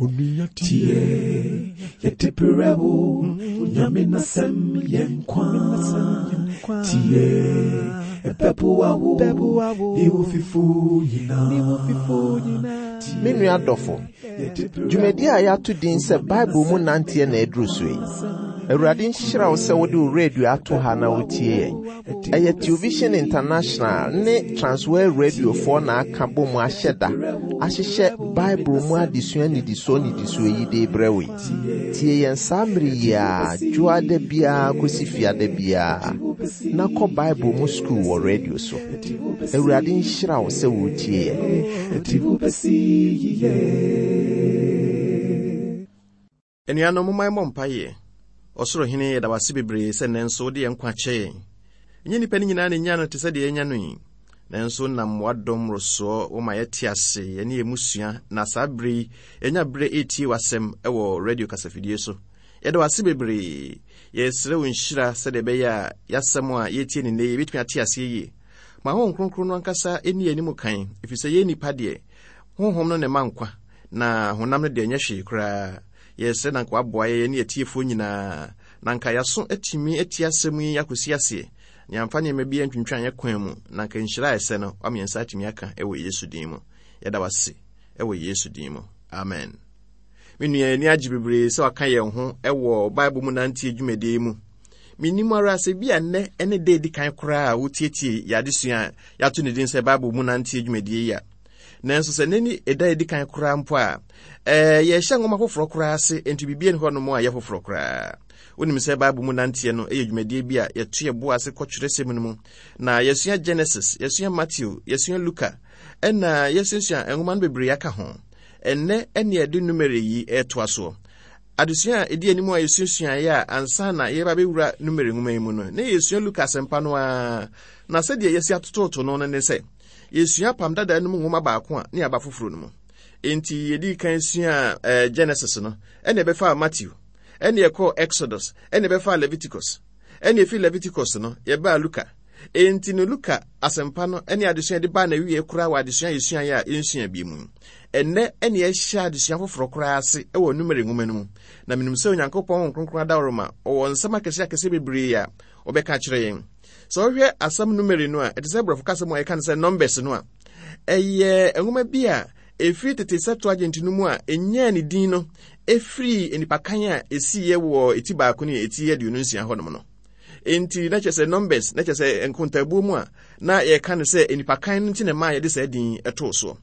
Tie, yɛde brɛ wo, Nyame n'asɛm yɛ nkwa. Tie, ɛbɛboa wo, ne wo fifo nyinaa. Me nua dɔfo, dwumadi a yɛato din sɛ Bible mu nanteɛ na aduru so yi. Awurade nhyira wo sɛ wode wo radio ato ha na wotie yɛn. Ɛyɛ Television International ne Transworld Radiofoɔ na aka bɔ mu ahyɛ da ahyehyɛ Bible mu adesua nnidisoɔ nnidisoɔ yi de rebrɛ wo yi. Tie yɛn saa mmere yi ara, dwoada biara kɔsi fiada biara, na kɔ Bible mu sukuu wɔ radio so. Awurade nhyira wo sɛ woretie yɛn. Anuanom, momma yɛmmɔ mpaeɛ. Ɔsoro Hene, yɛda wo ase bebree sɛ nnɛ nso wode yɛn nkwa kyɛ yɛn. Ɛnyɛ nnipa no nyinaa na ɛnya no te sɛ deɛ yɛanya no yi. Nanso wonam w'adom mmorosoɔ woma yɛte ase, yɛne yɛn mmusua, na saa berɛ yi yɛanya berɛ retie w'asɛm wɔ radio kasafidie so. Yɛda wo ase bebree. Yɛresrɛ wo nhyira sɛdeɛ ɛbɛyɛ a yɛasɛm a yɛretie no nnɛ yi yɛbɛtumi ate aseɛ yie. Ma Honhom Kronkron no ankasa nni yɛn anim kan, ɛfiri sɛ yɛn nnipa deɛ, Honhom no na ɛma nkwa, na honam no deɛ ɛnyɛ hwee koraa. Yɛresrɛ na anka waboa yɛn ne atiefoɔ nyinaa, na anka yɛaso atumi atie asɛm yi akɔsi aseɛ, na yɛamfa nneɛma bi antwintwan yɛn kwan mu, na anka nhyira a ɛsɛ no, wama yɛn nsa atumi aka wɔ Yesu din mu. Yɛda wo ase wɔ Yesu din mu. Amen. Me nua, yɛn ani agye bebree sɛ waka yɛn ho wɔ Bible mu nanteɛ dwumadie yi mu. Menim ara sɛ bi a nnɛ ne da edi kan koraa a wotietie yɛn adesua a yɛato ne din sɛ Bible mu nanteɛ dwumadie yi a. Nanso sɛ nnɛ ni ɛda edi kan koraa mpo a, ɛɛ yɛhyɛ nwoma foforɔ koraa ase, enti biribi nni hɔnom a ɛyɛ foforɔ koraa. Wonim sɛ Bible mu nanteɛ no yɛ dwumadie bi a yɛto yɛn bo ase kɔ twerɛsɛm no mu, na yɛsua Genesis, yɛsua Matthew, yɛsua Luka, ɛna yɛsuasua nwoma no bebree aka ho. Ɛnnɛ ɛne yɛde Numere yi retoa soɔ. Adesua a ɛdi anim a yɛsuasuaeɛ a ansa na yɛreba bɛwura Numere nwoma yi mu no, na yɛsua Luka asɛmpa no ara, na sɛdeɛ yɛasi atototo no no ne sɛ, Yɛsua Apam Dada no mu nwoma baako a ne aba foforɔ no mu. Enti yɛdii kan suaa eh, Genesis no, ɛne ɛbɛfaa Matthew, ɛne ɛkɔɔ Exodus, ɛne ɛbɛfaa Leviticus, ɛne ɛfiri Leviticus no yɛbaa Luka. Enti no Luka asɛmpa no ne adesua yɛde baa n'awieɛ koraa wɔ adesua a yɛsuaeɛ a yɛnsua bi mu. Ɛnnɛ ɛne yɛhyɛ adesua foforɔ koraa ase wɔ Numeri nwoma no mu. Na menim sɛ Onyankopɔn Honhom Kronkron adaworoma ɔwɔ nsɛm akɛseɛ akɛseɛ bebree a ɔbɛka akyerɛ yɛn. Sɛ wohwɛ asɛm numeri no a, ɛte sɛ borɔfo kasa mu a yɛka no sɛ numbers no a, ɛyɛ nwoma bi a ɛfiri tete Septuagint no mu a ɛnyaa ne din no ɛfiri nnipakan a ɛsiiɛ wɔ ɛti baako ne ɛti 26 hɔnom no. Enti na kyerɛ sɛ numbers na kyerɛ sɛ nkontabuo mu a na yɛka no sɛ nnipakan no nti na ɛmaa yɛde saa din ɛtoo soɔ.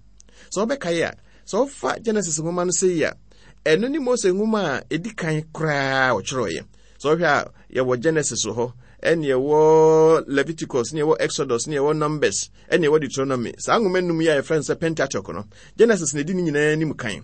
Sɛ wobɛkae a, sɛ wofa Genesis nwoma no sɛ yi a, ɛno ne Mose nwoma a ɛdi kan koraa ɔtwerɛeɛ. Sɛ wohwɛ a, yɛwɔ Genesis wɔ hɔ, ɛne ɛwɔ Leviticus, ne ɛwɔ Exodus, ne ɛwɔ Numbers, ɛne ɛwɔ Deuteronomy. Saa nwoma nnum yi a yɛfrɛ no sɛ Pentateuch no, Genesis na ɛdi ne nyinaa anim kan.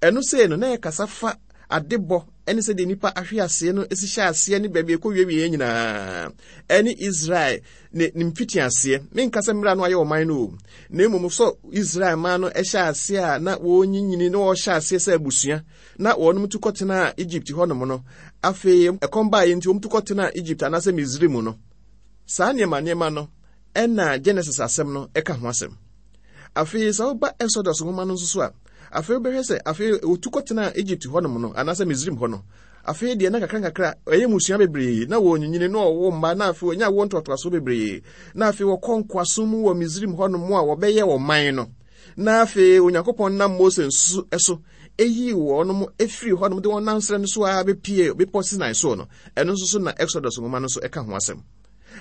Ɛno sei no, na ɛkasa fa adebɔ ɛne sɛdeɛ nnipa ahwe aseɛ no si hyɛ aseɛ ne baabi ɛkɔ wiewie nyinaa ɛne Israel ne ne mfitiaseɛ. Menka sɛ mmerɛ no ayɛ ɔman no o, na mmom sɛ Israel man no ɛhyɛ aseɛ a na wɔnyinyini na wɔhyɛ aseɛ sɛ abusua na wɔnom tu kɔtenaa Egypt hɔnom no, afei ɛkɔm baeɛ nti wɔn tu kɔtenaa Egypt anaasɛ Misraim no. Saa nneɛma nneɛma no ɛna Genesis asɛm no ɛka ho asɛm. Afei sɛ woba Exodus nwoma no nso so a, afei wobɛhwɛ sɛ afei wɔtu kɔtenaa Egypt hɔnom no anaasɛ Misraim hɔ no, afei deɛ na kakra nkakra ɛyɛ mmusua bebree na wɔnyinyini na wɔwo mma na afei wɔnya awoɔ ntoatoasoɔ bebree na afei wɔkɔ nkoasom mu wɔ Misraim hɔnom a wɔbɛyɛ ɔman no. Na afei Onyankopɔn nam Mose nso so eyii wɔn firii hɔnom de wɔn nam serɛ no so ara bepie bepɔ Sinai soɔ no, ɛno nso so na Exodus nwoma no nso ɛka ho asɛm.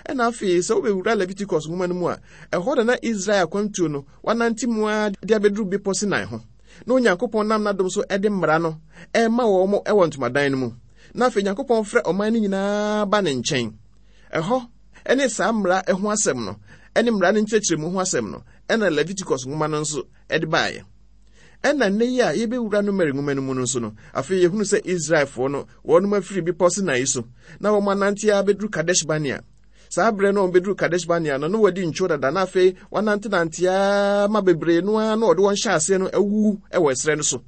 Ɛna afei sɛ wobɛwura Leviticus nwoma no mu a, ɛhɔ na na Israel akwantuo no wanante mu ara de abɛduru bepɔ Sinai ho. Na Onyankopɔn nam n'adom so de mmara no ɛrema wɔn wɔ ntomadan no mu. Na afei Onyankopɔn frɛ ɔman no nyinaa ba ne nkyɛn. Ɛhɔ ne saa mmara ho asɛm no ne mmara no nkyerɛkyerɛmu ho asɛm no ɛna Leviticus nwoma no nso de baeɛ. Ɛna nnɛ yi a yɛbɛwura Numeri nwoma no mu no nso no, afei yɛhunu sɛ Israelfoɔ no wɔnom afiri bepɔ Sinai so na wɔn anante ara bɛduru Kadesh Barnea. Saa berɛ no wɔn bɛduru Kadesh Barnea no, na wɔadi ntwo dada na afei wɔanantenante ara ma bebree no ara na wɔde wɔn hyɛ aseɛ no awuwu wɔ ɛserɛ no so.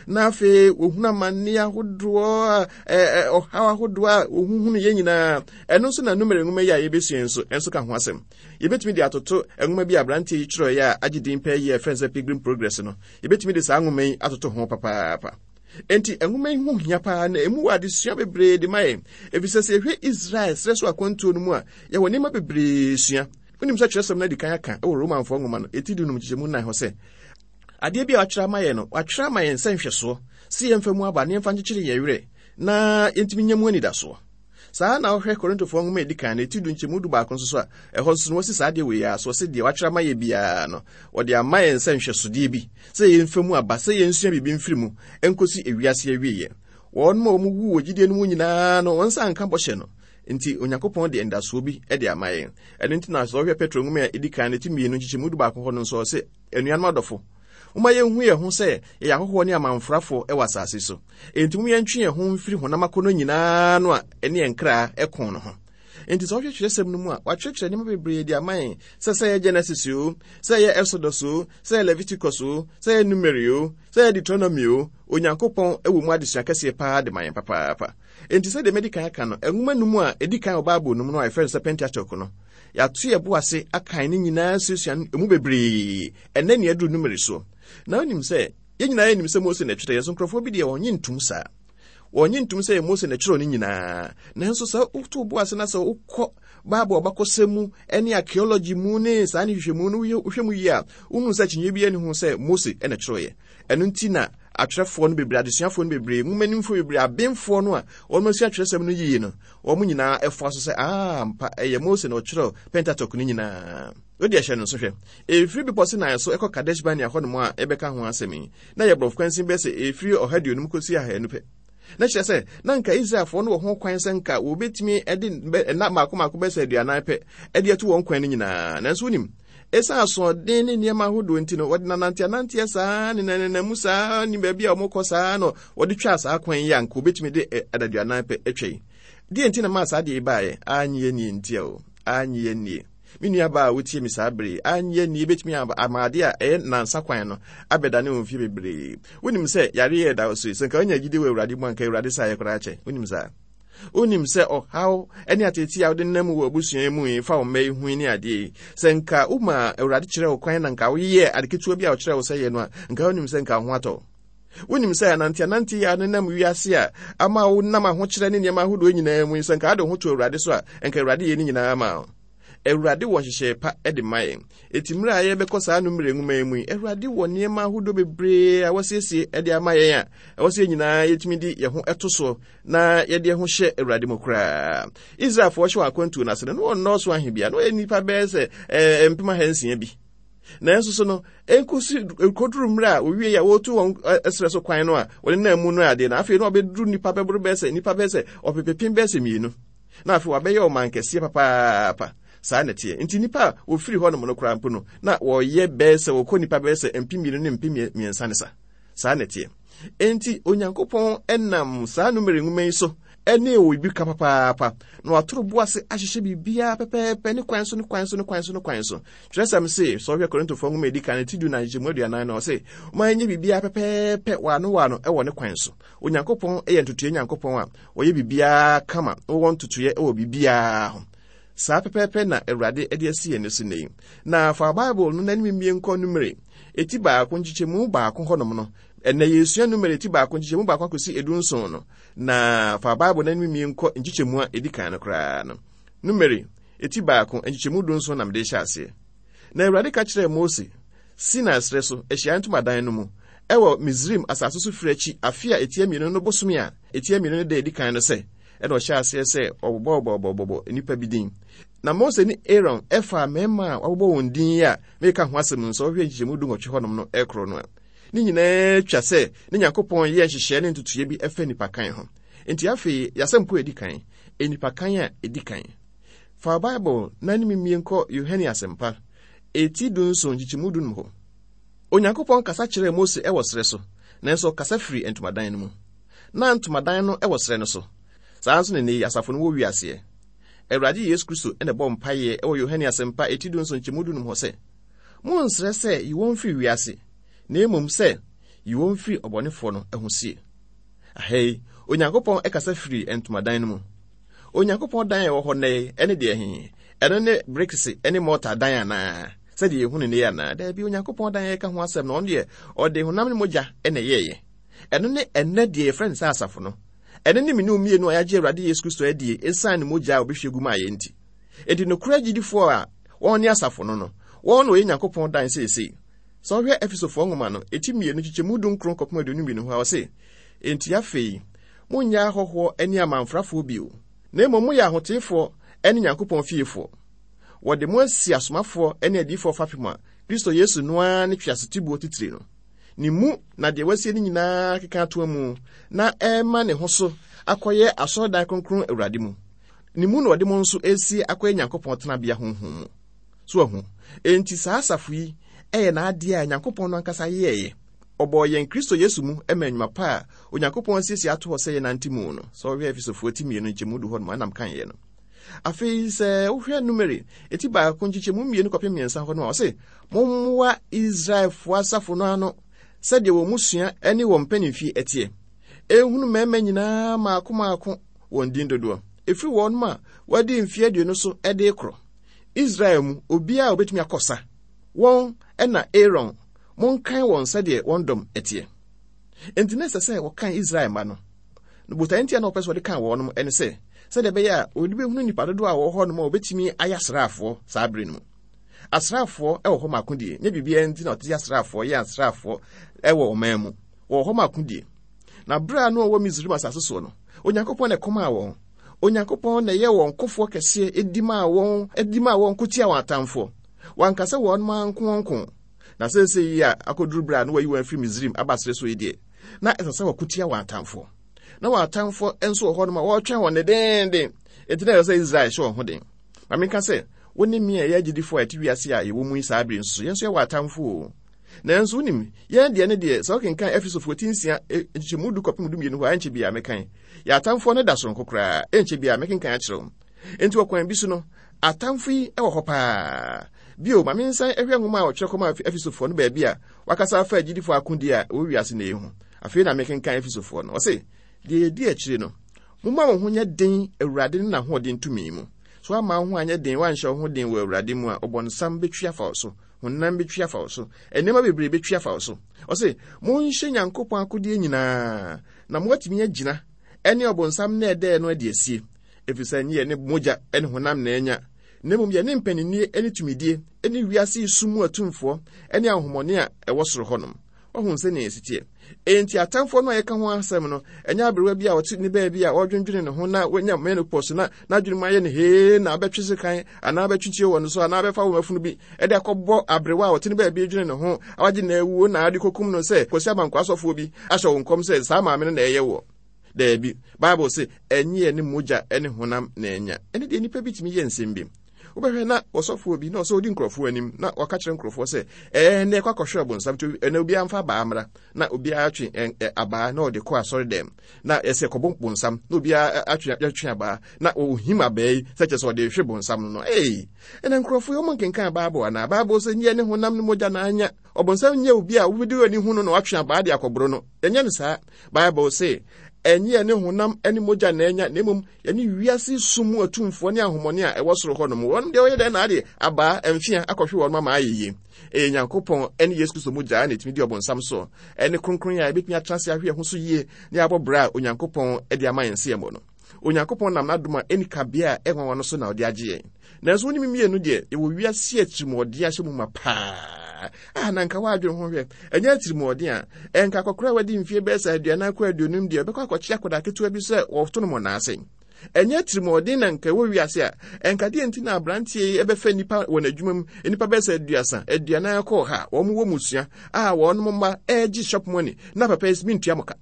Na afei wɔhunu amanneɛ ahodoɔ a ɔhaw ahodoɔ a wɔhuhunu yɛ nyinaa. Ɛno nso na Numeri nwoma yi a yɛbɛsua nso nso ka ho asɛm. Yɛbɛtumi de atoto nwoma bi a aberanteɛ yi twerɛeɛ a agye din pɛɛ yi a yɛfrɛ no sɛ Pilgrim Progress no. Yɛbɛtumi de saa nwoma yi atoto ho papaapa. Enti nwoma yi ho hia paa na emu wɔ adesua bebree de ma yɛn, efisɛ sɛ yɛhwɛ Israel serɛ so akwantuo no mu a, yɛwɔ nneɛma bebree sua. Wonim sɛ kyerɛwsɛm no adi kan aka wɔ Romanfoɔ nwoma no eti dunum nkyekyɛmu nnan hɔ sɛ, adeɛ bi a wɔatwerɛ ama yɛn no, wɔatwerɛ ama yɛn sɛ nhwɛsoɔ, sɛ yɛmfa mu aba na yɛmfa nkyekyere yɛn werɛ na yɛntumi nya mu anidasoɔ. Saa na wohwɛ Korintofoɔ nwoma a ɛdi kan no eti du nkyɛmu du baako nso so a, ɛhɔ nso no wɔsi saa adeɛ wei ara so, wɔsi deɛ wɔatwerɛ ama yɛ biara no, wɔde ama yɛn sɛ nhwɛsodeɛ bi, sɛ yɛmfa mu aba, sɛ yɛnsua biribi mfiri mu nkɔsi ewiase awieeɛ. Wɔn a wɔwu wɔ gyidie no mu nyinaa no, wɔn nsa anka bɔhyɛ no. Nti Onyankopɔn de anidasoɔ bi de ama yɛn. Ɛno nti na sɛ wohwɛ Petro nwoma a ɛdi kan no ti mmienu nkyekyɛmu du baako hɔ no nso ɔse, anuanom adɔfo, momma yɛnhu yɛn ho sɛ yɛyɛ ahɔhoɔ ne amanfrafoɔ wɔ asase so. Enti mom yɛntwe yɛn ho mfiri honam akɔnnɔ nyinaa no a ɛne yɛn kra ko no ho. Enti sɛ wohwɛ kyerɛsɛm no mu a, wɔakyerɛkyerɛ nneɛma bebree de ama yɛn sɛ sɛ ɛyɛ Genesis o, sɛ ɛyɛ Exodus o, sɛ ɛyɛ Leviticus o, sɛ ɛyɛ Numeri o, sɛ ɛyɛ Deuteronomy o, Onyankopɔn wɔ mu adesua kɛseɛ paa de ma yɛn papaapa. Enti sɛdeɛ madi kan aka no, nwoma num a ɛdi kan wɔ Bible no mu no a yɛfrɛ no sɛ Pentateuch no, yɛato yɛn bo ase akan ne nyinaa suasua no emu bebree. Ɛnnɛ nea aduru Numeri soɔ. Na wonim sɛ, yɛn nyinaa yɛnim sɛ Mose na ɛtwerɛeɛ, nso nkurɔfoɔ bi deɛ wɔnnye ntom saa. Wɔnnye ntom sɛ ɛyɛ Mose na ɛtwerɛɛ ne nyinaa. Nanso sɛ woto wo bo ase na sɛ wokɔ Bible abakɔsɛm mu ne archaeology mu ne saa ne nhwehwɛmu no wohwɛ mu yie a, wohunu sɛ akyinnyeɛ biara nni ho sɛ Mose na ɛtwerɛeɛ. Ɛno nti na atwerɛfoɔ no bebree, adesuafoɔ no bebree, nwomanimfoɔ bebree, abenfoɔ no a wɔn asua atwerɛsɛm no yie no, wɔn nyinaa ɛfoa so sɛ, aa ampa, ɛyɛ Mose na ɔtwerɛɛ Pentateuch no nyinaa. Wode ɛhyɛ no nso hwɛ. Ɛfiri Bepɔ Sinai so ɛkɔ Kadesh Barnea hɔnom a yɛbɛka ho asɛm yi, na ɛyɛ borɔfo kwansin bɛyɛ sɛ ɛfiri ɔha aduonum kɔsi ahanu pɛ. Na kyerɛ sɛ, na anka Israelfoɔ no wɔ ho kwan sɛ nka wɔbɛtumi de nna mmaako mmaako bɛyɛ sɛ aduanan pɛ de atu wɔn kwan no nyinaa. Nanso wonim, ɛsiane asoɔden ne nneɛma ahodoɔ nti no, wɔde nananteananteɛ saa ne nananamu saa ne baabi a wɔkɔ saa no wɔde twaa saa kwan yi a nka wɔbɛtumi de adaduanan pɛ atwa yi. Deɛ nti na maa saa deɛ yi baeɛ? Annye annie ntia o, annye annie. Me nuabaa a wotie me saa bere yi, annye anni ebetumi ama ade a ɛyɛ nnansa kwan no abɛdane wo mfe bebree. Wonim sɛ yare yɛ da so yi, sɛ nka wonya gyidi wɔ Awurade mu anka Awurade sa yɛ koraa kyɛ. Wonim saa? Wonim sɛ ɔhaw ne ateetee a wode nam wɔ abusua yi mu yi fa wo mma yi ho ne adeɛ yi, sɛ nka woma Awurade kyerɛ wo kwan na nka woyɛ ade ketewa bi a ɔkyerɛ wo sɛ yɛ no a, nka wonim sɛ nka wo ho atɔ wo. Wonim sɛ ananteanante yi a nenam wiase a ama wonam ahokyerɛ ne nneɛma ahodoɔ nyinaa mu yi, sɛ nka wode wo ho to Awurade so a, nka Awurade yɛ ne nyinaa ma wo. Awurade wɔ nhyehyɛe pa de ma yɛn. Eti mmerɛ a yɛbɛkɔ saa Numere nwoma yi mu yi, Awurade wɔ nneɛma ahodoɔ bebree a wasiesie de ama yɛn a ɛwɔ sɛ yɛn nyinaa yɛtumi de yɛn ho to soɔ na yɛde yɛn ho hyɛ Awurade mu koraa. Israelfoɔ hyɛ wɔn akwantuo no ase no, na wɔnnɔɔso ahe bia, na wɔyɛ nnipa bɛyɛ sɛ eh, 600 bi. Nanso so no, ɛnkosi ɛkɔduru mmerɛ a wɔwie a wɔretu wɔn ɛserɛ so kwan no a wɔde nam mu no adeɛ no, afei na wɔbɛduru nnipa bɛboro bɛyɛ sɛ nnipa bɛyɛ sɛ ɔpepepem bɛyɛ sɛ mmienu. Na afei wɔabɛyɛ ɔman kɛseɛ papaapa. Saa na ɛteɛ. Nti nnipa a wɔfiri hɔnom no koraa mpo no, na wɔyɛ bɛyɛ sɛ wɔkɔ nnipa bɛyɛ sɛ 2000 ne 3000 ne sa. Saa na ɛteɛ. Enti Onyankopɔn nam saa Numeri nwoma yi so ne wɔ biribi ka papaapa, na watoro bo ase ahyehyɛ biribiara pɛpɛɛpɛ ne kwan so ne kwan so ne kwan so ne kwan so. Kyerɛsɛm se, sɛ wohwɛ Korintofoɔ nwoma edi kan ti du na nkyɛmu aduanan no, ɔse, ma ɛnyɛ biribiara pɛpɛɛpɛ waano waano wɔ ne kwan so. Onyankopɔn yɛ ntotoeɛ Nyankopɔn a ɔyɛ biribiara kama, ɔwɔ ntotoeɛ wɔ biribiara ho. Saa pɛpɛɛpɛ na Awurade de asi yɛn so nnɛ yi. Na fa Bible no n'anim mmie nkɔ Numere eti baako nkyekyɛmu baako hɔnom no. Ɛnnɛ yɛresua Numere eti baako nkyekyɛmu baako akɔsi 17 no. Na fa Bible n'anim mmie nkɔ nkyekyɛmu a edi kan no koraa no. Numere eti baako nkyekyɛmu 17 na mede hyɛ aseɛ. Na Awurade ka kyerɛɛ Mose Sinai serɛ so, ahyiaeɛ ntomadan no mu, ɛwɔ Misraim asase so firi akyi afe a ɛtia mmienu no bosome a ɛtia mmienu no da edi kan no sɛ, ɛna ɔhyɛɛ aseɛ sɛ ɔbobɔbɔbɔbɔ nnipa bi din. Na Mose ne Aaron faa mmarima a wɔabobɔ wɔn din yi a mereka ho asɛm no, sɛ wohwɛ nkyekyɛmu dunwɔtwe hɔnom no ɛkoro no a, ne nyinaa twa sɛ ne Nyankopɔn yɛɛ nhyehyɛɛ ne ntotoeɛ bi ɛfa nnipakan ho. Enti afei, yɛasɛmpo a ɛdi kan, nnipakan a ɛdi kan. Fa Bible na ne mimie nkɔ Yohane Asɛmpa, eti 17 nkyekyɛmu 15 hɔ. Onyankopɔn kasa kyerɛɛ Mose wɔ serɛ so, nanso ɔkasa firii ntomadan no mu. Na ntomadan no wɔ serɛ no so. Saa ara nso na nnɛyi asafo no wɔ wiaseɛ. Awurade Yesu Kristo na ɛbɔ mpaeɛ wɔ Yohane Asɛmpa eti 17 nkyɛmu 15 hɔ sɛ, Monnsrɛ sɛ yi wɔn mfiri wiase, na mmom sɛ yi wɔn firi ɔbɔnefoɔ no ho sie. Aha yi, Onyankopɔn kasa firii ntomadan no mu. Onyankopɔn dan a ɛwɔ hɔ nnɛ yi ne deɛ he? Ɛno ne brikse ne mɔta dan anaa? Sɛdeɛ yɛhu no nnɛ yi anaa? Daabi, Onyankopɔn dan a yɛka ho asɛm no, ɔno deɛ ɔde honam ne mogya na ɛyɛeɛ. Ɛno ne ɛnnɛ deɛ yɛfrɛ no sɛ asafo no. Ɛno ne me ne wo mmienu a yɛagye Awurade Yesu Kristo adie ɛsiane ne mogya a ɔbɛhwie gu maa yɛn nti. Enti nokorɛ agyidifoɔ a wɔn ne asafo no no, wɔn na wɔyɛ Nyankopɔn dan seesei. Sɛ wohwɛ Efesofoɔ nwoma no, eti mmienu nkyekyɛmu dunkron kɔpem 22 hɔ a, ɔse, Enti afei, monnyɛ ahɔhoɔ ne amanfrafoɔ bio, na mmom moyɛ ahoteefoɔ ne Nyankopɔn fiefoɔ. Wɔde mo asi asomafoɔ ne adiyifoɔ fapem a Kristo Yesu no ara ne tweasotiboɔ titire no. Ne mu na deɛ wasie no nyinaa keka atoa mu na ɛrema ne ho so akɔyɛ asɔredan kronkron Awurade mu. Ne mu na ɔde mo nso resie akɔyɛ Nyankopɔn tenabea honhom mu. So ahu? Enti saa asafo yi yɛ n'adeɛ a Nyankopɔn no ankasa yɛeɛ. Ɔbɔɔ yɛn Kristo Yesu mu ma nnwuma pa a Onyankopɔn asiesie ato hɔ sɛ yɛnante mu no. Sɛ wohwɛ Efesofoɔ ti mmienu nkyɛmu du hɔ nom a na mekaeɛ no. Afei sɛ wohwɛ Numeri eti baako nkyekyɛmu mmienu kɔpem mmiɛnsa hɔ no a, ɔse, Mommoa Israelfoɔ asafo no ano sɛdeɛ wɔn mmusua ne wɔn mpanimfie teɛ. Ɛnhunu mmarima nyinaa mmaako mmaako wɔn din dodoɔ, ɛfiri wɔnom a wɔadi mfeɛ aduonu so de rekorɔ. Israel mu obiara a ɔbɛtumi akɔ sa, wɔn na Aaron, monkan wɔn sɛdeɛ wɔn dɔm teɛ. Enti na ɛsɛ sɛ wɔkan Israel mma no. Na botae nti a na wɔpɛ sɛ wɔde kan wɔnom ne sɛ, sɛdeɛ ɛbɛyɛ a wɔde bɛhunu nnipa dodoɔ a wɔwɔ hɔnom a wɔbɛtumi ayɛ asraafoɔ saa bere no mu. Asraafoɔ wɔ hɔ ma akodie, nyɛ biribiara nti na wɔte asraafoɔ yɛ asraafoɔ wɔ ɔman mu. Wɔwɔ hɔ ma akodie. Na berɛ a na wɔwɔ Misraim asase soɔ no, Onyankopɔn na ɛkɔmaa wɔn. Onyankopɔn na ɛyɛ wɔn kofoɔ kɛseɛ di maa wɔn, di maa wɔn ko tia wɔn atamfoɔ. Wanka sɛ wɔn ara nko wɔn ko. Na seesei yi a akɔduru berɛ a na wɔayi wɔn afiri Misraim aba serɛ so yi deɛ, na ɛsɛ sɛ wɔko tia wɔn atamfoɔ. Na wɔn atamfoɔ nso wɔ hɔnom a wɔretwɛn wɔn dedeenden. Enti na ɛsɛ sɛ Israel hyɛ wɔn ho den. Ma menka sɛ, wo ne me a yɛyɛ agyidifoɔ a yɛte wiase a yɛwɔ mu yi saa bere nso, yɛn nso yɛwɔ atamfoɔ o. Nanso wonim, yɛn deɛ ne deɛ, sɛ wokenkan Efesofoɔ ti nsia e, nkyekyɛmu du kɔpem dumienu hɔ a, ɛnkyɛ biara mɛkan. Yɛn atamfoɔ no da soronko koraa, ɛnkyɛ biara mɛkenkan akyerɛ wo. Enti wɔ kwan bi so no, atamfo yi wɔ hɔ paa. Bio, ma mensan hwɛ nwoma a wɔtwerɛ kɔmaa Efesofoɔ no baabi a wakasa afa agyidifoɔ akodie a ɛwɔ wiase nnɛ yi ho. Afei na mekenkan Efesofoɔ no. Ɔse, Deɛ ɛdi akyire no, momma mo ho nyɛ den Awurade ne n'ahoɔden tumi mu. So woamma wo ho anyɛ den, woanhyɛ wo ho den wɔ Awurade mu a, ɔbɔnsam bɛtwi afa wo so, honam bɛtwi afa wo so, nneɛma bebree bɛtwi afa wo so. Ɔse, monhyɛ Nyankopɔn akodeɛ nyinaa, na moatumi agyina ɛne ɔbonsam nnɛɛdɛɛ no adi asie, ɛfiri sɛ ɛnyɛ yɛne mogya ne honam na anya, na mmom yɛne mpaninnie ne tumidie ne wiase yi sum mu atumfoɔ ne ahonhommɔne a ɛwɔ soro hɔnom. Wahu sɛnea ɛsi teɛ. Enti atamfoɔ no a yɛka ho asɛm no, ɛnyɛ aberewa bi a ɔte ne baabi a ɔredwendwene ne ho na wanya menopause na n'adwene mu ayɛ no hee na abɛtwe sekan anaa abɛtwe tuo wɔ no so anaa abɛfa wɔn afunu bi de akɔbɔ aberewa a ɔte ne baabi redwene ne ho a wagye na awuo na ade kɔkum no sɛ Kwasi Abankwa asɔfoɔ bi ahyɛ wo nkɔm sɛ saa maame no na ɛyɛ woɔ. Daabi, Bible se ɛnyɛ yɛne mogya ne honam na anya. Ɛne deɛ nnipa bi tumi yɛ nsɛm bi. Wobɛhwɛ na ɔsɔfoɔ bi na ɔsɛ ɔdi nkurɔfoɔ anim na ɔka kyerɛ nkurɔfoɔ sɛ ɛɛ nnɛ ɛkɔ akɔhwɛ ɔbonsam nti ɛnɛ obiara mfa abaa mmra na obiara atwe abaa na ɔde kɔ asɔre dɛm na ɛsɛ kɔbɔ bonsam na obiara atwe atwe abaa na ɔhim abaa yi sɛ kyerɛ sɛ ɔde hwe bonsam no no ee ɛnɛ nkurɔfoɔ yi wɔn nkenkan bible anaa bible sɛ nyɛ ne honam ne mogya na anya ɔbonsam nyɛ obi a wobɛdi w'ani hu no na watwe abaa de akɔboro no ɛnyɛ no saa bible se ɛnyɛ ne honam ne mogya na anya na mmom yɛne wiase sum mu atumfoɔ ne ahomɔne a ɛwɔ soro hɔ nom. Wɔn deɛ wɔyɛ dɛn na adeɛ abaa mfea akɔhwe wɔn ama ayɛ yie. Ɛyɛ Nyankopɔn ne Yesu Kristo mogya na ɛtumi di ɔbonsam so, ɛne kronkron a ɛbɛtumi atena ase ahwe ɛho so yie ne abɔ bra a Onyankopɔn de ama yɛn sɛ yɛmmɔ no. Onyankopɔn nam n'adom a ɛnni kabea a ɛnwanwa no so na ɔde agye yɛn. Nanso wo ne me mmienu deɛ, yɛwɔ wiase atirimuɔden ahyɛ mu ma paa. Ah, na nka woadwene ho hwɛ, ɛnyɛ atirimuɔden a, ɛnka akɔkora a wadi mfeɛ bɛyɛ sɛ aduanan kɔ aduonum deɛ, ɔbɛkɔ akɔkye akwadaa ketewa bi sɛ wɔto no mmɔnaase. Ɛnyɛ atirimuɔden na nka ɛwɔ wiase a, ɛnka deɛ nti na aberanteɛ yi ɛbɛfa nnipa wɔ n'adwuma mu, nnipa bɛyɛ sɛ aduasa, aduanan kɔ ɔha, wɔn wɔ mmusua a wɔn mma ɛregye shop money, na papa yi mentua mo ka.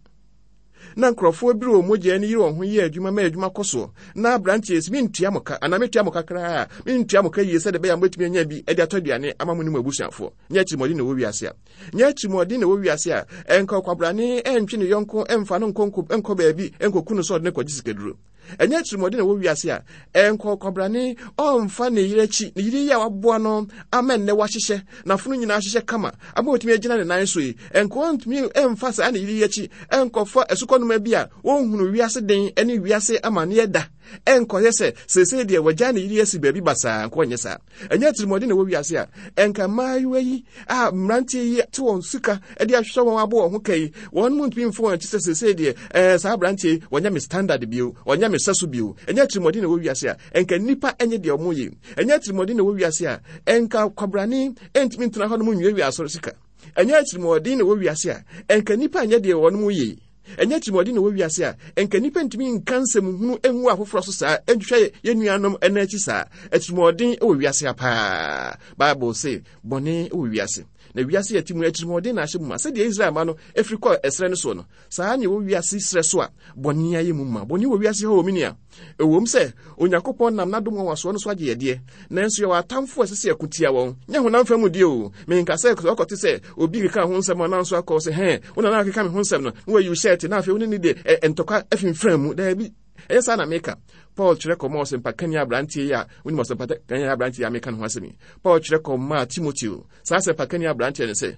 Na nkurɔfoɔ biri wɔn mogya ani yere wɔn ho yɛ adwuma ma adwuma kɔ soɔ. Na aberanteɛ sɛ mentua mo ka anaa metua mo ka koraa a, mentua mo ka yie sɛdeɛ ɛbɛyɛ a mobɛtumi anya bi de atɔ aduane ama mo ne mo abusuafoɔ. Nyɛ atirimuɔden na ɛwɔ wiase a. Nyɛ atirimuɔden na ɛwɔ wiase a, ɛnka ɔkwabrane ɛntwe ne yɔnko ɛmfa no nkɔ nkɔ baabi nkɔku no sɛ ɔde no kɔgye sikaduro. Ɛnyɛ atirimuɔden na ɛwɔ wiase a, ɛnkɔ ɔkwabrane ɔmfa ne yere akyi, ne yere yi a waboa no ama nnɛ wahyehyɛ, n'afono nyinaa ahyehyɛ kama, ama watumi agyina ne nan so yi, ɛnkɔ ɔntumi ɛmfa saa ne yere yi akyi ɛnkɔfa asukɔnoma bi a wɔnhunu wiase den ne wiase amanneɛ da. ɛnkɔyɛ sɛ seesei deɛ wagya ne yere asi baabi basaa, nka ɔnyɛ saa. Ɛnyɛ atirimuɔden na ɛwɔ wiase a, ɛnka mmaayewa yi a mmeranteɛ yi te wɔn sika de ahwehwɛ wɔn abɔ wɔn ho ka yi, wɔn mu ntumi mfa wɔn akyi sɛ seesei deɛ ɛɛ saa aberanteɛ yi wɔnyɛ me standard bio, wɔnyɛ me sɛso bio. Ɛnyɛ atirimuɔden na ɛwɔ wiase a, ɛnka nnipa nyɛ deɛ wɔn yɛ. Ɛnyɛ atirimuɔden na ɛwɔ wiase a, ɛnka kwabrane ntumi ntena hɔnom nwiawia asɔre sika. Ɛnyɛ atirimuɔden na ɛwɔ wiase a, ɛnka nnipa nyɛ deɛ wɔn yɛ yi. Ɛnyɛ atirimuɔden na ɛwɔ wiase a, ɛnka nnipa ntumi nka nsɛm hunu ngu afoforɔ so saa, ntwitwa yɛn nuanom nan akyi saa. Atirimuɔden wɔ wiase ha paa. Bible se bɔne wɔ wiase. Na wiase yɛte mu atirimuɔden na ahyɛ mu ma. Sɛdeɛ Israel mma no firi kɔɔ ɛserɛ no soɔ no, saa na ɛwɔ wiase serɛ so a bɔne ayɛ mu ma. Bɔne wɔ wiase hɔ wɔ me nua. Ɛwom sɛ Onyankopɔn nam n'adom nwanwasoɔ no so agye yɛn deɛ, nanso yɛwɔ atamfo a ɛsɛ sɛ yɛko tia wɔn. Nyɛ honam fam deɛ o. Menka sɛ ɔkɔte sɛ obi keka ho nsɛm anaa nso akɔ sɛ hɛn, wo na na akeka me ho nsɛm no, na wayi wo hyɛɛte na afei wo ne ne de ntɔkwa afimfram mu. Daabi, ɛnyɛ saa na meka. Paul kyerɛ kɔmaa ɔsɛmpakani aberanteɛ yi a wonim ɔsɛmpakani aberanteɛ yi a meka ne ho asɛm yi. Paul kyerɛ kɔmaa Timoteo, saa asɛmpakani aberanteɛ no sɛ,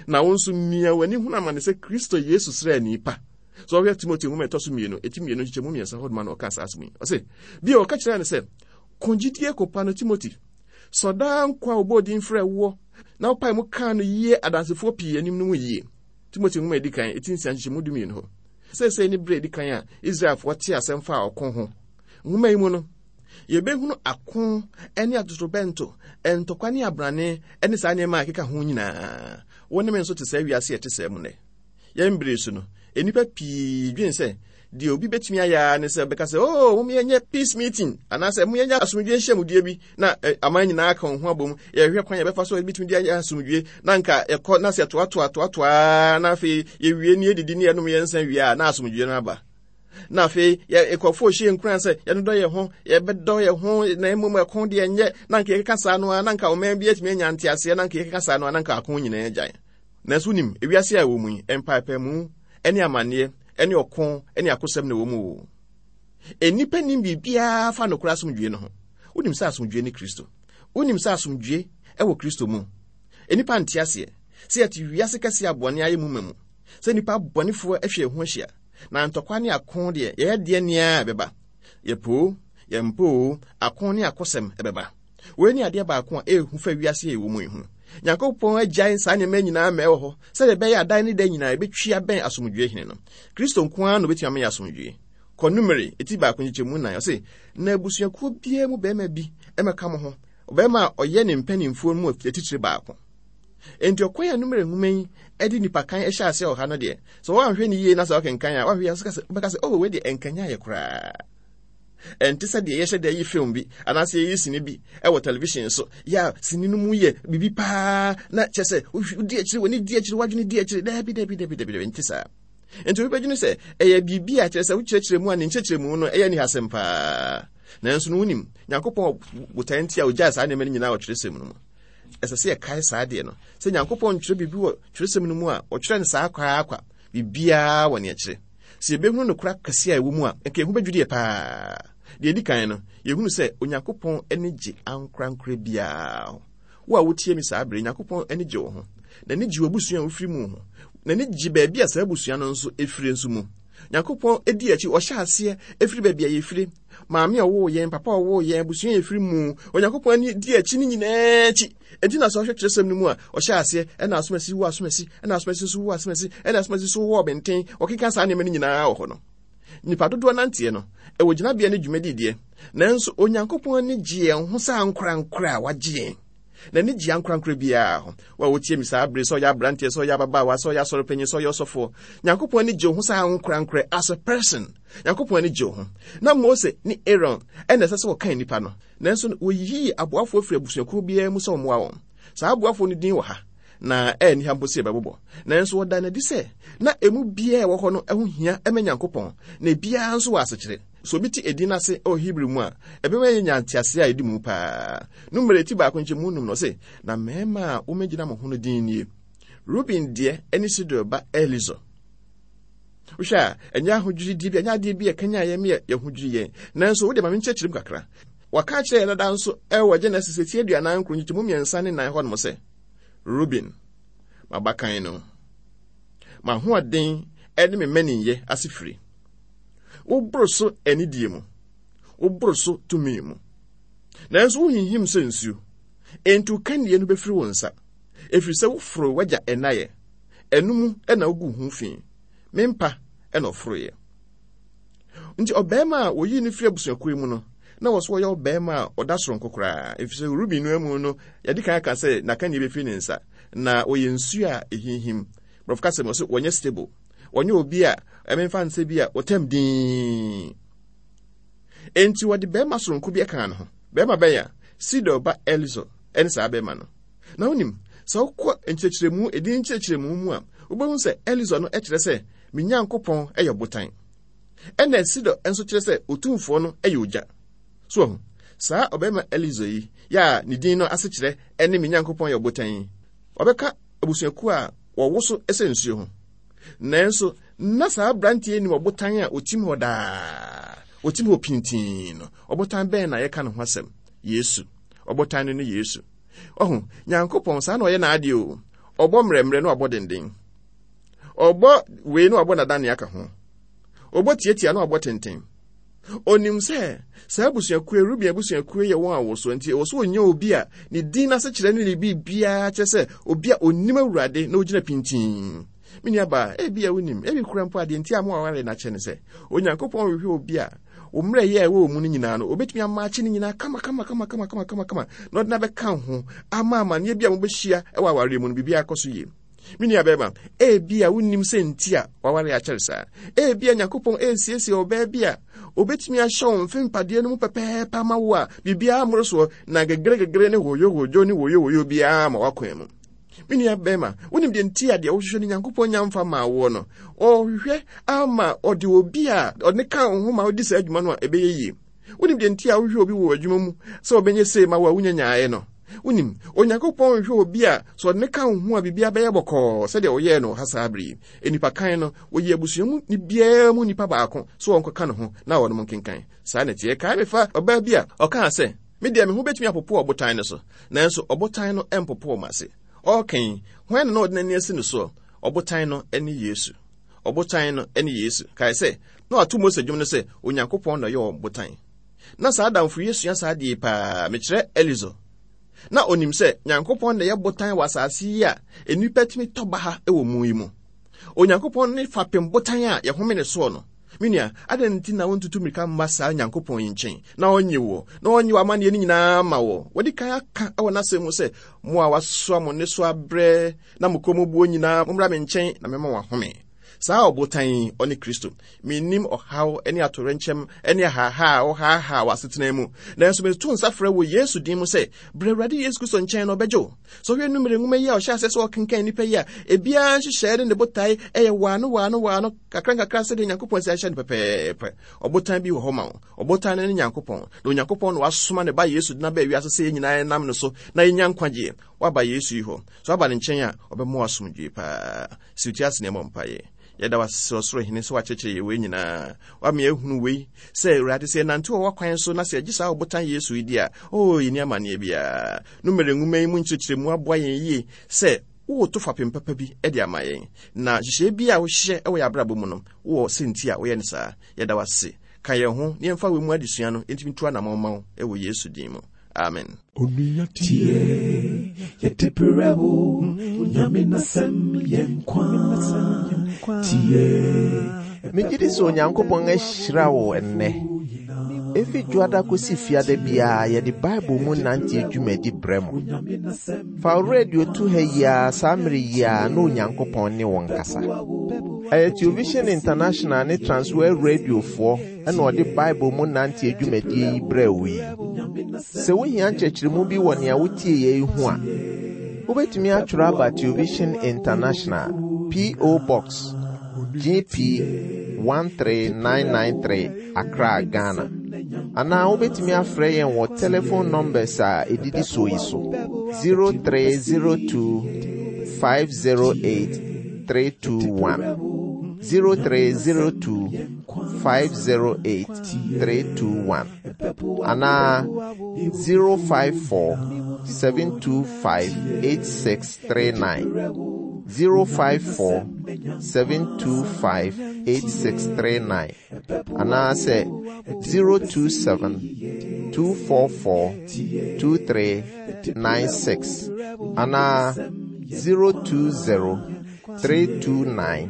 Na wo nso mia w'ani hunu amane sɛ Kristo Yesu sraani pa. Sɛ ɔhwɛ Timoteo nwoma ɛtɔ so mmienu, eti mmienu nkyekyɛmu mmiɛnsa hɔ noma na ɔka saa asɛm yi. Ɔse, bio ɔka kyerɛɛ no sɛ, Ko gyidie ko pa no, Timoteo. Sɔ daa nkwa a wɔbɔɔ din frɛɛ woɔ na wopae mu kaa no yie adansefoɔ pii anim no mu yie. Timoteo nwoma edi kan, eti nsia nkyekyɛmu dumienu hɔ. Seesei ne berɛ edi kan a Israelfoɔ tee asɛm faa ɔko ho. Nwoma yi mu no, Yɛbɛhunu ako ne atotorobɛnto, ntɔkwa ne abrane ne saa nneɛma a ɛkeka ho nyinaa. Wo ne me nso te saa wiase a ɛte saa mu nnɛ. Yɛn bere so no, nnipa pii dwen sɛ deɛ obi bɛtumi ayɛ ara ne sɛ ɔbɛka sɛ, oh, mom yɛnyɛ peace meeting anaasɛ mom yɛnyɛ asomdwie nhyiamudie bi na eh, aman nyinaa ka wɔn ho abom yɛhwɛ kwan yɛbɛfa so yɛbɛtumi de ayɛ asomdwie na nka yɛkɔ na sɛ yɛtoatoa toatoa na afei yɛwie ne yɛdidi ne yɛnom yɛn nsa wie a na asomdwie no aba. Na afei yɛ nkurɔfoɔ hyɛ nkuran sɛ yɛnodɔ yɛn ho, yɛbɛdɔ yɛn ho, na mmom ɛko deɛ nyɛ, na anka yɛkeka saa no ara, na anka ɔman bi atumi anya nteaseɛ, na anka yɛkeka saa no ara, na anka ako nyinaa agyae. Nanso wonim, ewiase a ɛwɔ mu yi, mpaepaemu ne amanneɛ ne ɔko ne akosɛm na ɛwɔ mu o. Nnipa nim biribiara fa nokorɛ asomdwoe no ho. Wonim sɛ asomdwoe ne Kristo. Wonim sɛ asomdwoe wɔ Kristo mu. Nnipa nte aseɛ sɛ yɛte wiase kɛseɛ a bɔne ayɛ mu ma mu, sɛ nnipa abɔnefoɔ atwa yɛn ho ahyia, Na ntɔkwa ne ako deɛ, yɛyɛ deɛ nea ɛbɛba. Yɛpo o, yɛmpo o, ako ne akosɛm ɛbɛba. Wei ne adeɛ baako a ɛyɛ hu fa wiase a yɛwɔ mu yi ho. Nyankopɔn agyae saa nneɛma nyinaa ma ɛwɔ hɔ sɛdeɛ ɛbɛyɛ a dan ne da nyinaa yɛbɛtwi abɛn asomdwoeɛ hene no. Kristo nko ara na ɔbɛtumi ama yɛ asomdwoeɛ. Kɔ Numeri, eti baako nkyekyɛmu nnan, ɔse, Na abusuakuo biara mu barima bi mmɛka mo ho, ɔbarima a ɔyɛ ne mpanimfoɔ mu atitire baako. Enti ɔkwan a Numeri nwoma yi de nnipakan hyɛ aseɛ wɔ ha no deɛ, sɛ woanhwɛ no yie na sɛ wokenkan a, woanhwɛ yie a wobɛka sɛ, oh, wei deɛ ɛnkanyan yɛ koraa. Ɛnte sɛ deɛ yɛhyɛ da yi film bi anaasɛ yɛyi sini bi wɔ television so. Yɛ a sini no mu yɛ biribi paa na kyerɛ sɛ wodi akyire, w'ani di akyire, w'adwene di akyire. Daabi, daabi, daabi, daabi, daabi, ɛnte saa. Enti obi bɛdwene sɛ ɛyɛ biribi a kyerɛ sɛ wokyerɛkyerɛ mu a ne nkyerɛkyerɛmu no ɛyɛ nihasɛm paa. Nanso no wonim, Nyankopɔn botae nti a ogyae saa nneɛma no nyinaa wɔ twerɛsɛm no mu. Ɛsɛ sɛ yɛkae saa adeɛ no sɛ Nyankopɔn ntwerɛ biribi wɔ twerɛsɛm no mu a ɔtwerɛ no saa kwa ara kwa, biribiara wɔ nea ɛkyerɛ. Sɛ yɛbɛhunu nokorɛ akɛseɛ a ɛwɔ mu a, nka yɛn ho bɛdwiri yɛ paa. Deɛ ɛdi kan no, yɛhunu sɛ Onyankopɔn ani gye ankorankorɛ biara ho. Wo a wotie me saa berɛ yi, Nyankopɔn ani gye wo ho. N'ani gye w'abusua a wofiri mu ho. N'ani gye baabi a saa abusua no nso fire nso mu. Nyankopɔn di akyi, ɔhyɛ aseɛ firi baabi a yɛfire. Maame a ɔwoo yɛn, papa a ɔwoo yɛn, abusua a yɛfiri mu. Onyankopɔn ani di akyi ne nyinaa akyi. Enti na sɛ ɔhwɛ kyerɛsɛm no mu a, ɔhyɛ aseɛ, ɛna asomasi wo asomasi, ɛna asomasi nso wo asomasi, ɛna asomasi nso wo ɔbɛnten. Ɔkeka saa nneɛma no nyinaa wɔ hɔ no. Nnipa dodoɔ nanteɛ no, ɛwɔ gyinabea ne dwumadi deɛ, nanso Onyankopɔn ani gye yɛn ho sɛ ankorankorɛ a wagye yɛn. N'ani gye ankorankorɛ biara ho. Wo a wotie me saa bere, sɛ ɔyɛ aberanteɛ, sɛ ɔyɛ ababaawa, sɛ ɔyɛ asɔrepanyin, sɛ ɔyɛ ɔsɔfoɔ, Nyankopɔn ani gye wo ho sɛ ankorankorɛ, as a person. Nyankopɔn ani gye wo ho. Na Mose ne Aaron na ɛsɛ sɛ wɔkan nnipa no, nanso wɔyiyii aboafoɔ firi abusuakuo biara mu sɛ wɔmmoa wɔn. Saa aboafoɔ no din wɔ ha, na ɛnni ha mpo sɛ yɛbɛbobɔ. Nanso wɔda no adi sɛ na emu biara a ɛwɔ hɔ no ho hia ma Nyankopɔn, na ebiara nso wɔ asekyerɛ. Sɛ obi te edin no ase wɔ Hebri mu a, ɛbɛma yɛanya ntease a edi mu paa. Numeri ti baako nkyɛmu num no, ɔse, Na mmarima a wommegyina mo ho no din nie, Ruben deɛ ne Sedeur ba Elisur. Wohwɛ a, ɛnyɛ ahodwirideɛ bi, ɛnyɛ adeɛ bi a ɛkanyan yɛn ma yɛn ho dwiri yɛn. Nanso, wo deɛ ma menkyerɛkyerɛ mu kakra. Wɔaka akyerɛ yɛn dada nso wɔ Genesis eti 49 nkyekyɛmu mmiɛnsa ne nan hɔnom sɛ, Ruben, m'abakan no, m'ahoɔden ne me mmaninyɛ asefire. Woboro so anidie mu. Woboro so tumi mu. Nanso wohinhim sɛ nsuo, enti wo kannie no bɛfiri wo nsa, ɛfiri sɛ woforoo w'agya nnaeɛ, ɛno mu na woguu ho fi. Me mpa na ɔforoeɛ. Nti ɔbarima a wɔyii no firi abusuakuo yi mu no, na wɔ so ɔyɛ ɔbarima a ɔda soronko koraa, ɛfiri sɛ Ruben no amu no, yɛde kan aka sɛ n'akannie bɛfiri ne nsa, na ɔyɛ nsuo a ɛhinhim. Borɔfo kasa mu, ɔsɛ wɔnyɛ stable. Wɔnyɛ obi a ɛmemfa nsɛ bi a wɔtam dinn. Enti wɔde barima soronko bi kaa ne ho. Barima bɛn a? Sidor ba Elisur ne saa barima no. Na wonim, sɛ wokɔ nkyerɛkyerɛmu, edin nkyerɛkyerɛmu mu a, wobɛhu sɛ Elisur no kyerɛ sɛ me Nyankopɔn yɛ ɔbotan. Ɛna Sidor nso kyerɛ sɛ Otumfoɔ no yɛ ogya. So wahu? Saa ɔbarima Elisur yi, yɛ a ne din no asekyerɛ ne me Nyankopɔn yɛ ɔbotan yi, ɔbɛka abusuakuo a wɔwoso sɛ nsuo ho. Nanso, na saa aberanteɛ yi nim ɔbotan a ɔtim hɔ daa, ɔtim hɔ pintinn no. Ɔbotan bɛn na yɛka ne ho asɛm? Yesu. Ɔbotan no ne Yesu. Ɔho, Nyankopɔn, saa na ɔyɛ n'adeɛ o. Ɔbɔ mmerɛmmerɛ na wabɔ denden. Ɔbɔ wei na wabɔ n'adanne aka ho. Ɔbɔ tiatia na wabɔ tenten. Onim sɛ saa abusuakuo Ruben abusuakuo yɛ wɔn a wɔsoɔ nti ɛwɔ sɛ ɔnya obi a ne din n'asekyerɛ ne ne biribiara kyerɛ sɛ obi a onim Awurade na ogyina pintinn. Me nuabaa, ebi a wonim, ebi kura mpo adeɛ nti a mo aware no akyɛ ne sɛ Onyankopɔn hwehwɛ obi a wo mmerɛyɛ a ɛwɔ wɔ mu no nyinaa no, obetumi amaakye ne nyinaa kama kama kama kama kama kama kama na ɔde no abɛka ho ama amanneɛ bi a mobɛhyia wɔ awareɛ mu no biribiara akɔ so yie. Me nua bɛrima, ebia wonnim sɛ nti a waware akyɛre saa. Ebia Nyankopɔn resiesie ɔbaa bi a obetumi ahyɛ wo mfe mpadeɛ no mu pɛpɛɛpɛ ama wo a biribiara mmoro soɔ na gegeregegere ne hoyohoyo ne woyowoyo biara ma w'akwan mu. Me nua bɛrima, wonim deɛ nti a deɛ wohwehwɛ no Nyankopɔn nya mfa maa woɔ no? Ɔhwehwɛ ama ɔde obi a ɔne ka wo ho ma wodi saa adwuma no a ɛbɛyɛ yie. Wonim deɛ nti a wohwehwɛ obi wɔ adwuma mu sɛ ɔbɛnyɛ sei ma wo a wonya nyaeɛ no? Wonim, Onyankopɔn nhwehwɛ obi a sɛ ɔde no ka wo ho a biribiara bɛyɛ bɔkɔɔ sɛdeɛ ɔyɛɛ no wɔ ha saa bere yi. Nnipa kan no, wɔyi abusua mu ne biara mu nipa baako sɛ wɔnkɔka ne ho na wɔnom nkenkan. Saa na ɛteɛ. Kae me fa ɔbaa bi a ɔkaa sɛ, Me deɛ me ho bɛtumi apopo ɔbotan no so, nanso ɔbotan no mpopo m'ase. Ɔreka yi, hwan na na ɔde n'ani asi no soɔ? Ɔbotan no ne Yesu. Ɔbotan no ne Yesu. Kae sɛ, na wato Mose dwom no sɛ, Onyankopɔn na ɔyɛ ɔbotan. Na saa adamfo yi asua saa adeɛ yi paa, mekyerɛ Eliezer. Na onim sɛ Nyankopɔn na ɛyɛ botan wɔ asase yi a nnipa tumi tɔ baha wɔ mu yi mu. Onyankopɔn ne fapem botan a yɛhome ne soɔ no. Me nua, adɛn nti na wontutu mmirika mma saa Nyankopɔn yi nkyɛn na ɔnnye woɔ, na ɔnnye w'amanneɛ no nyinaa mma woɔ? Wadi kan aka wɔ n'asɛm mu sɛ, Mo a wɔasoa mo nnesoa abrɛ na mo kɔn mu buo nyinaa, mommra me nkyɛn na mɛma mo ahome. Saa ɔbotan yi, ɔne Kristo. Minnim ɔhaw ne atoyerɛnkyɛm ne ahaahaa a wohaahaa w'asetena mu, nanso meto nsa frɛ wo Yesu din mu sɛ, bra Awurade Yesu Kristo nkyɛn na ɔbɛgye wo. Sɛ wohwɛ Numere nwoma yi a ɔhyɛ aseɛ sɛ ɔkenkan nnipa yi a, ebiara nhyehyɛe ne ne botae yɛ waano waano waano, kakra nkakra sɛdeɛ Nyankopɔn asi ahyɛ no pɛpɛɛpɛ. Ɔbotan bi wɔ hɔ ma wo. Ɔbotan no ne Nyankopɔn, na Onyankopɔn na wasoma ne ba Yesu de no aba wiase sɛ yɛn nyinaa nam no so na yɛnya nkwagyeɛ. Woaba Yesu yi hɔ. Sɛ woaba ne nkyɛn a, ɔbɛma wo asomdwoe paa. Si wo ti ase na yɛmmɔ mpaeɛ. Yɛda wo ase, Ɔsoro Hene, sɛ woakyerɛkyerɛ yɛn wei nyinaa. Woama yɛahunu wei, sɛ, Awurade, sɛ yɛnante wɔ w'akwan so na sɛ yɛgye saa ɔbotan Yesu yi di a, oo, yɛnni amanneɛ biara. Numere nwoma yi mu nkyerɛkyerɛmu aboa yɛn yie sɛ woreto fapem papa bi de ama yɛn. Na nhyehyɛeɛ biara a wohyɛ wɔ yɛn abrabɔ mu no, wowɔ sɛ nti a woyɛ no saa. Yɛda wo ase. Ka yɛn ho na yɛmfa wei mu adesua no ntumi ntu anammɔn mma wo wɔ Yesu din mu. Amen. Onua tie, yɛde brɛ wo, Onyame n'asɛm yɛ nkwa. Tie. Megye di sɛ Onyankopɔn ahyira wo ɛnnɛ. Efi Dwoada kosi Fiada biara yɛde Bible mu nanteɛ dwumadi brɛ mo. Fa wo radio to ha yi ara saa mmere yi ara na Onyankopɔn ne wo nkasa. Ɛyɛ Television International ne Transworld Radiofoɔ na ɔde Bible mu nanteɛ dwumadie yi brɛɛ wo yi. Sɛ wohia nkyerɛkyerɛmu bi wɔ nea wotieeɛ yi ho a, wobɛtumi atwerɛ aba Television International, P.O. Box, GP 13993, Accra, Ghana. Anaa wobɛtumi afrɛ yɛn wɔ telephone numbers a ɛdidi soɔ yi so, 0302 508 321, 0302 508 321 anaa 054 725 8639. 054 725 8639 anaasɛ 027 244 2396 anaa 020 329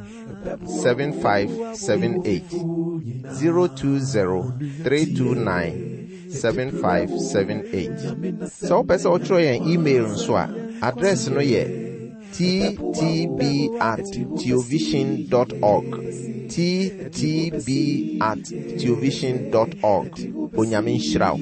7578 020 329 7578. Sɛ wopɛ sɛ wotwerɛ yɛn email nso a, address no yɛ ttb at theovision dot org. ttb at theovision dot org. Onyame nhyira wo.